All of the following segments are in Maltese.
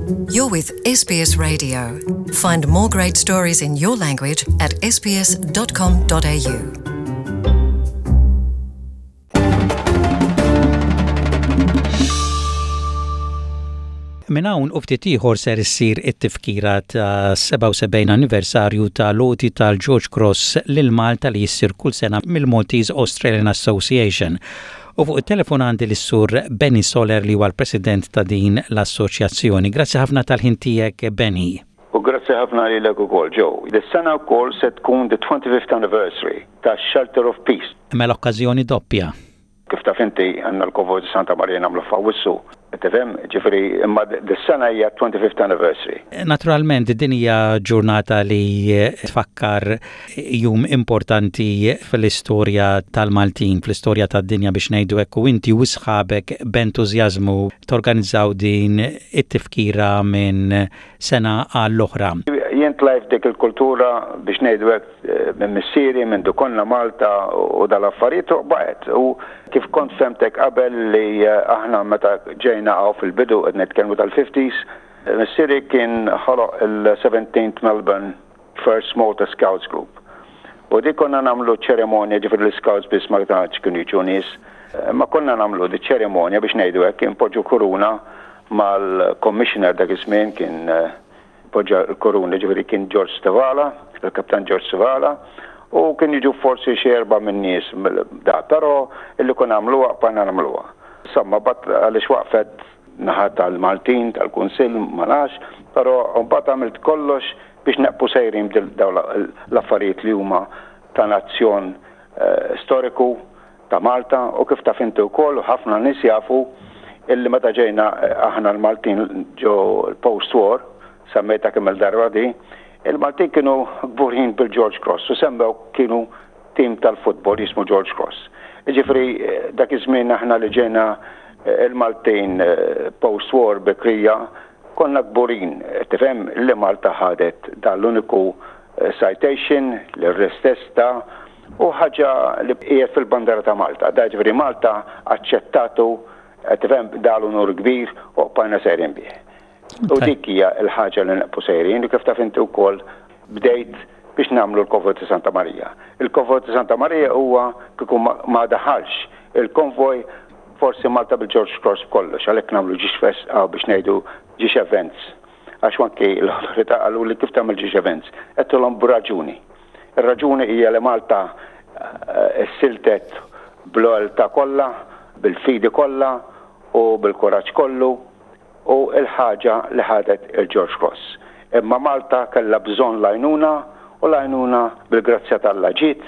You're with SBS Radio. Find more great stories in your language at sbs.com.au. Minn hawn u ftit ieħor ser issir it-tifkira ta' 77 anniversarju ta' l-għoti tal-George Cross lil Malta li jissir kull sena mill-Maltese Australian Association. U fuq it-telefon għandi lis-Sur Benny Soler li huwa l-President ta' din l-assoċjazzjoni. Grazzi ħafna tal-ħin tiegħek Benny. U grazzi ħafna lilek ukoll Joe. Dis-sena wkoll se tkun the 25th anniversary tax-Shelter of Peace. Mela okkażjoni doppja. Kif taf inti, għandna l-Konvoj ta' Santa Marija nagħmluh f'Awwissu, tifhem? Ġifieri, imma dis-sena hija t-25th anniversary. Naturalment din hija ġurnata li tfakkar jum importanti fl-istorja tal-Maltin, fl-istorja tad-dinja biex ngħidu hekk u inti u sħabek b'entużjażmu torganizzaw din it-tifkira minn sena għall-oħra. Jien tlajt f'dik il-kultura biex ngħidu hekk minn missieri, mindu konna Malta u dal-affarijiet u baqgħet. U kif kont fehmtek qabel li aħna meta ġejna hawn fil-bidu qed nitkellmu tal-fifties, missieri kien ħoloq il-Seventeenth Melbourne First Malta Scouts Group. U dik konna nagħmlu ċerimonja, ġifieri l-Scouts biss ma tantx kienu jiġu nies, imma konna nagħmlu di ċerimonja biex ngħidu hekk, inpoġġu kuruna mal-commissioner dak iż-żmien kien Poġġa l-kuruna, ġifieri kien George Stivala, il-Kaptan George Stivala, u kien jiġu forsi xi erba' min-nies da, però illi konna nagħmluha bqajna nagħmluha. Insomma, mbagħad għaliex waqfet naħa tal-Maltin, tal-Kunsill, ma nafx, però mbagħad għamilt kollox biex neqpu sejrin b'dawn l-affarijiet li huma ta' nazzjon storiku ta' Malta u kif taf inti wkoll u ħafna nies jafu illi meta ġejna aħna l-Maltin ġo l-post war, semmejtha kemm-il darba di, il-Maltin kienu kburin bil-George Cross u semmew kienu tim tal-futbol jismu George Cross. Jiġifieri dak iż-żmien aħna li ġejna il-Maltin post war bikrija konna kburin, tifhem, li Malta ħadet dan l-uniku citation li r-re stess ta U ħaġa li qiegħed fil-bandera ta' Malta. Da jiġifieri Malta aċċettatu, qed tifhem, da l-unur kbir u bqajna sejrin bih. U dik hija l-ħaġa li neqpu sejrin u kif taf inti wkoll bdejt biex nagħmlu l-konvoj ta' Santa Marija. Il-konvoj ta' Santa Marija huwa kieku ma daħalx il-konvoj forsi Malta bil-George Cross b'kollox, għalhekk nagħmlu ġiex fest biex ngħidu ġiex events. Għax anki l-awtorità qaluli kif tagħmel ġiex events. Għedtilhom b'raġuni. Ir-raġuni hija li Malta ssiltet bl-lealtà kollha, bil-fidi kollha u bil-kuraġġ kollu u l-ħaġa li ħadet il-George Cross. Imma Malta kellha bżonn l-għajnuna u l-għajnuna bil-grazzja t'Alla ġiet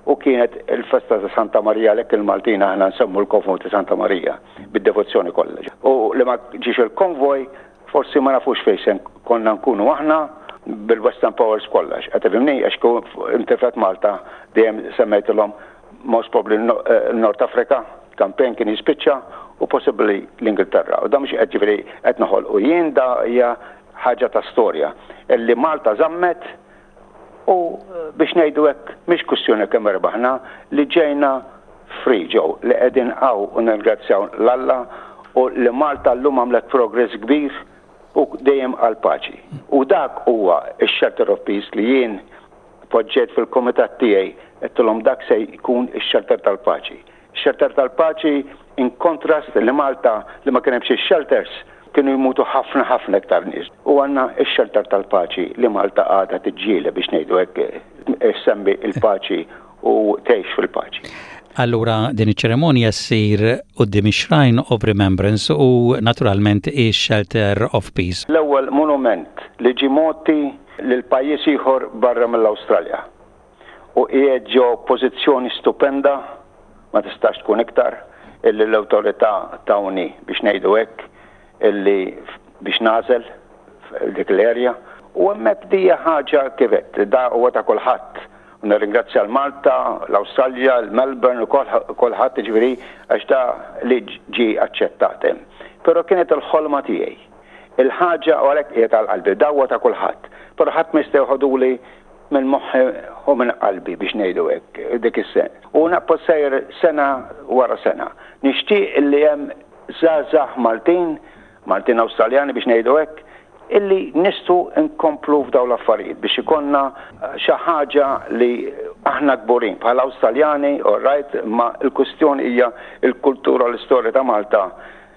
u kienet il-festa ta' Santa Marija għalhekk il-Maltin aħna nsemmu l-konvoj ta' Santa Marija bid-devozzjoni kollha. U li ma ġiex il-konvoj Forsi ma nafux fejn se konna nkunu aħna bil-Western Powers b'kollox. Qed tifhimni? Għax kieku intilfet Malta dejjem semmejtilhom most probably North Africa, campaign kien jispiċċa u possibbly l-Ingilterra. U da mhux qed ġifieri qed noħolqu jien da hija ħaġa ta' storja illi Malta żammet u biex ngħidu hekk mhix kwistjoni kemm erbaħna li ġejna free ġew li qegħdin hawn u nirringrazzjaw 'l Alla u li Malta llum għamlet progress kbir u dejjem għall-paċi. U dak huwa x-shelter of peace li jien poġġejt fil-kumitat tiegħi għedtilhom dak se jkun ix-shelter tal-paċi. Shelter tal-paċi in contrast li Malta li ma kien hemm xi shelters kienu jmutu ħafna ħafna iktar nies. U għandna x-shelter tal-paċi li Malta għadha tiġġieled biex ngħidu hekk issemmi l-paċi u tgħix fil-paċi. Allura din iċ-ċerimonja ssir quddiem ix-Shrine of Remembrance u naturalment ix-Shelter of Peace. L-ewwel monument li ġie mogħti lil pajjiż ieħor barra mill-Awstralja. u qiegħed ġo pożizzjoni stupenda, ma tistax tkun iktar, illi l-awtorità tawni biex ngħidu hekk illi biex nagħżel dik l-area. U hemmhekk di hija ħaġa kif għedt, da huwa ta' kulħadd. U nirringrazzja l-Malta, l-Awstralja, l-Melbourne u kulħadd jiġifieri għax da li ġie aċċettat hemm. Però kienet il-ħolma tiegħi. Il-ħaġa u għalhekk qiegħed għal qalbi, da huwa ta' kulħadd. Però ħadd ma jista' joħoduli minn moħħi u minn qalbi biex ngħidu hekk dik is-sena. U naqbad sejjer sena wara sena. Nixtieq li hemm żgħażagħ Maltin, Maltin Awstraljani biex ngħidu hekk, illi nistgħu nkomplu f'dawn l-affarijiet biex ikollna xi ħaġa li aħna kburin bħala Awstraljani, all right, imma l-kwistjoni hija l-kultura u l-istorja ta' Malta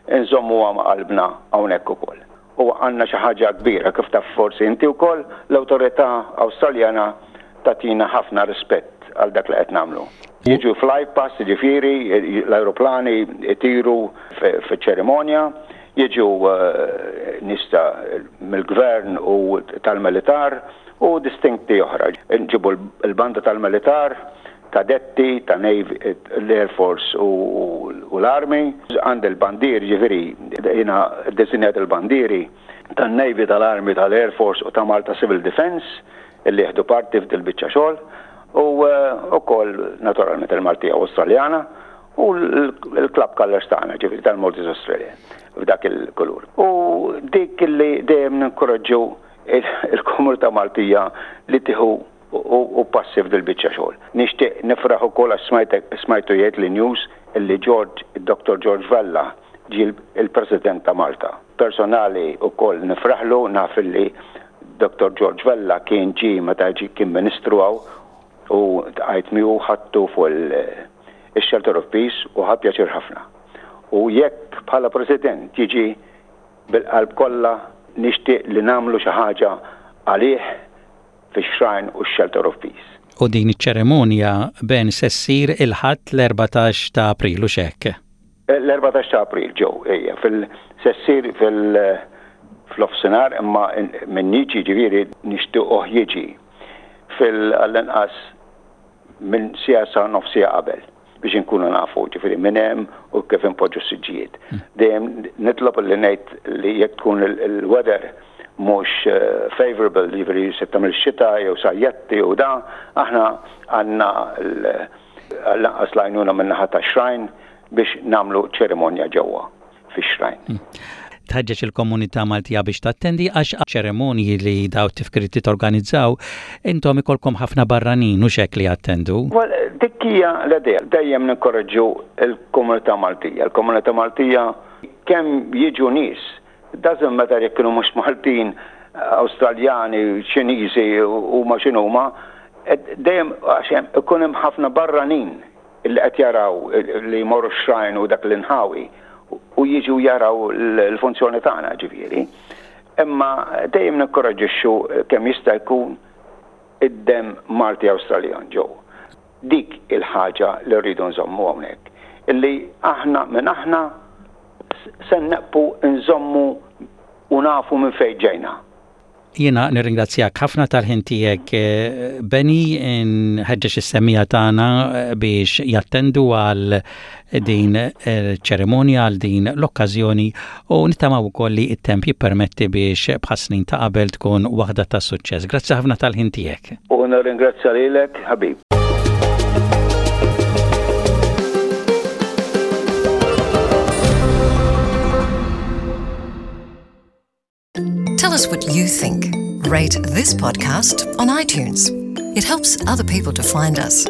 nżommuha ma' qalbna hawnhekk ukoll. U għandna xi ħaġa kbira kif taf forsi inti wkoll, l-awtorità Awstraljana tagħtina ħafna rispett għal dak li qed nagħmlu. Jiġu fly past, jiġifieri l-ajruplani jtiru fiċ-ċerimonja, jiġu nies ta' mill-gvern u tal-militar u distinti oħra. Nġibu l-banda tal-militar, kadetti ta' Navy, l-Air Force u l-Army. Għandi l-bandieri, jiġifieri jiena ddisinjajt il-bandieri tan-Navy, tal-Army, tal-Air Force u ta' Malta Civil Defence illi jieħdu parti f'dil-biċċa xogħol u wkoll naturalment il-Maltija u Awstraljana u l-club colours tagħna, ġifieri tal-Maltese Australia f'dak il-kulur. U dik li dejjem ninkoraġġu il-komunità Maltija li tieħu u passi f'dil-biċċa xogħol. Nixtieq nifraħ ukoll għax smajtek smajtu jgħid li news illi George, Dr. George Vella ġie l-President ta' Malta. Personali wkoll nifraħlu naf illi Dr. George Vella kien ġie meta ġie kien Ministru hawn u ltqajt miegħu ħadtu fuq il-Shelter of Peace u ħa pjaċir ħafna. U jekk bħala President jiġi bil-qalb kollha nixtieq li nagħmlu xi ħaġa għalih fix-Shrine u x-Shelter of Peace. U din iċ-ċerimonja, Ben, se ssir il-Ħadd l-14 ta' April, hux hekk? L-14 ta' April, Joe, ejja, fil, se ssir fil, fl-offsinhar imma min jiġi ġifieri nixtiequh jiġi fil, għall-inqas minn siegħa sa nofs siegħa qabel biex inkunu nafu ġifieri min hemm u kif inpoġġu s-siġġijiet. Dejjem nitlob li ngħid li jekk tkun il-weather mhux eh, favorable, ġifieri se tagħmel xita jew sajjetti u da, aħna għandna lanqas l-għajnuna min-naħa tax-shrine biex nagħmlu ċerimonja ġewwa fix-shrine. Hmm. Tħeġġeġ il-komunità Maltija biex tattendi għax ċerimonji li daw tifkiriet li torganizzaw intom ikolkom ħafna barranin u xek li jattendu. Well, dik hija l-idea. Dejjem ninkoraġġu l-komunità Maltija. Il-komunità Maltija kemm jiġu nies, doesn't matter jekk kienu mhux Maltin, Awstraljani, Ċiniżi huma x'inhuma, dejjem għax ikun hemm ħafna barranin li qed jaraw li jmorru x-shrine u dak l-inħawi u jiġu jaraw l-funzjoni tagħna ġifieri. Imma dejjem ninkoraġġixxu kemm jista' jkun id-demm Malti Awstraljan ġew. Dik il-ħaġa li rridu nżommu hawnhekk. Illi aħna minn aħna se neqpu nżommu u nafu minn fejn ġejna. Jiena nirringrazzjak ħafna tal-ħin tiegħek Benny, nħeġġeġ is-semmiegħa tagħna biex jattendu għal din ċerimonja għal din l-okkażjoni u nittamaw ukoll li t-temp jippermetti biex bħas-snin ta' qabel tkun waħda ta' suċċess. Grazzi ħafna tal-ħin tiegħek. U nirringrazzja lilek ħabib. Tell us what you think. Rate this podcast on iTunes. It helps other people to find us.